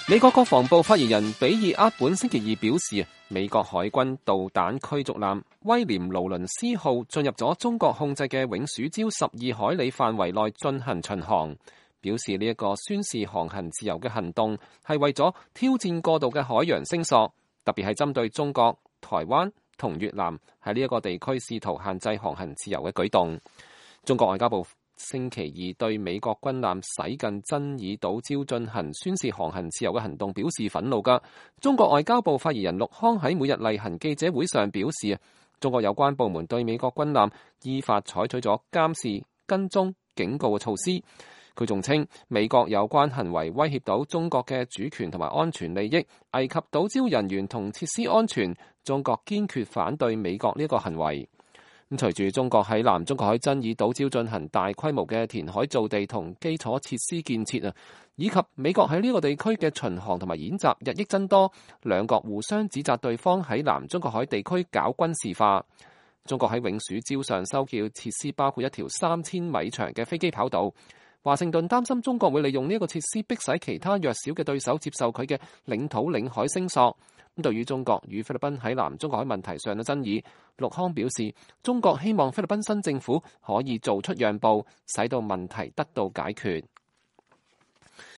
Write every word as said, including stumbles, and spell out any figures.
美國國防部發言人比爾·厄本星期二表示，美國海軍導彈驅逐艦威廉·勞倫斯號進入咗中國控制嘅永暑礁十二海里範圍內進行巡航，表示呢一個宣示航行自由嘅行動係為咗挑戰過度嘅海洋聲索，特別係針對中國、台灣同越南喺呢一個地區試圖限制航行自由嘅舉動。中國外交部星期二對美國軍艦駛近真議島礁進行宣示航行自由嘅行動表示憤怒㗎。中國外交部發言人陸康喺每日例行記者會上表示，中國有關部門對美國軍艦依法採取咗監視、跟蹤、警告嘅措施。佢仲稱美國有關行為威脅到中國嘅主權同埋安全利益，危及島礁人員同設施安全。中國堅決反對美國呢個行為。咁隨住中國喺南中國海真議島礁進行大規模嘅填海造地同基礎設施建設啊，以及美國喺呢個地區嘅巡航同埋演習日益增多，兩國互相指責對方喺南中國海地區搞軍事化。中國喺永暑礁上修建設施，包括一條三千米長嘅飛機跑道。華盛頓擔心中國會利用呢個設施迫使其他弱小嘅對手接受佢嘅領土領海聲索。咁對於中國與菲律賓喺南中國海問題上嘅爭議，陸康表示，中國希望菲律賓新政府可以做出讓步，使到問題得到解決。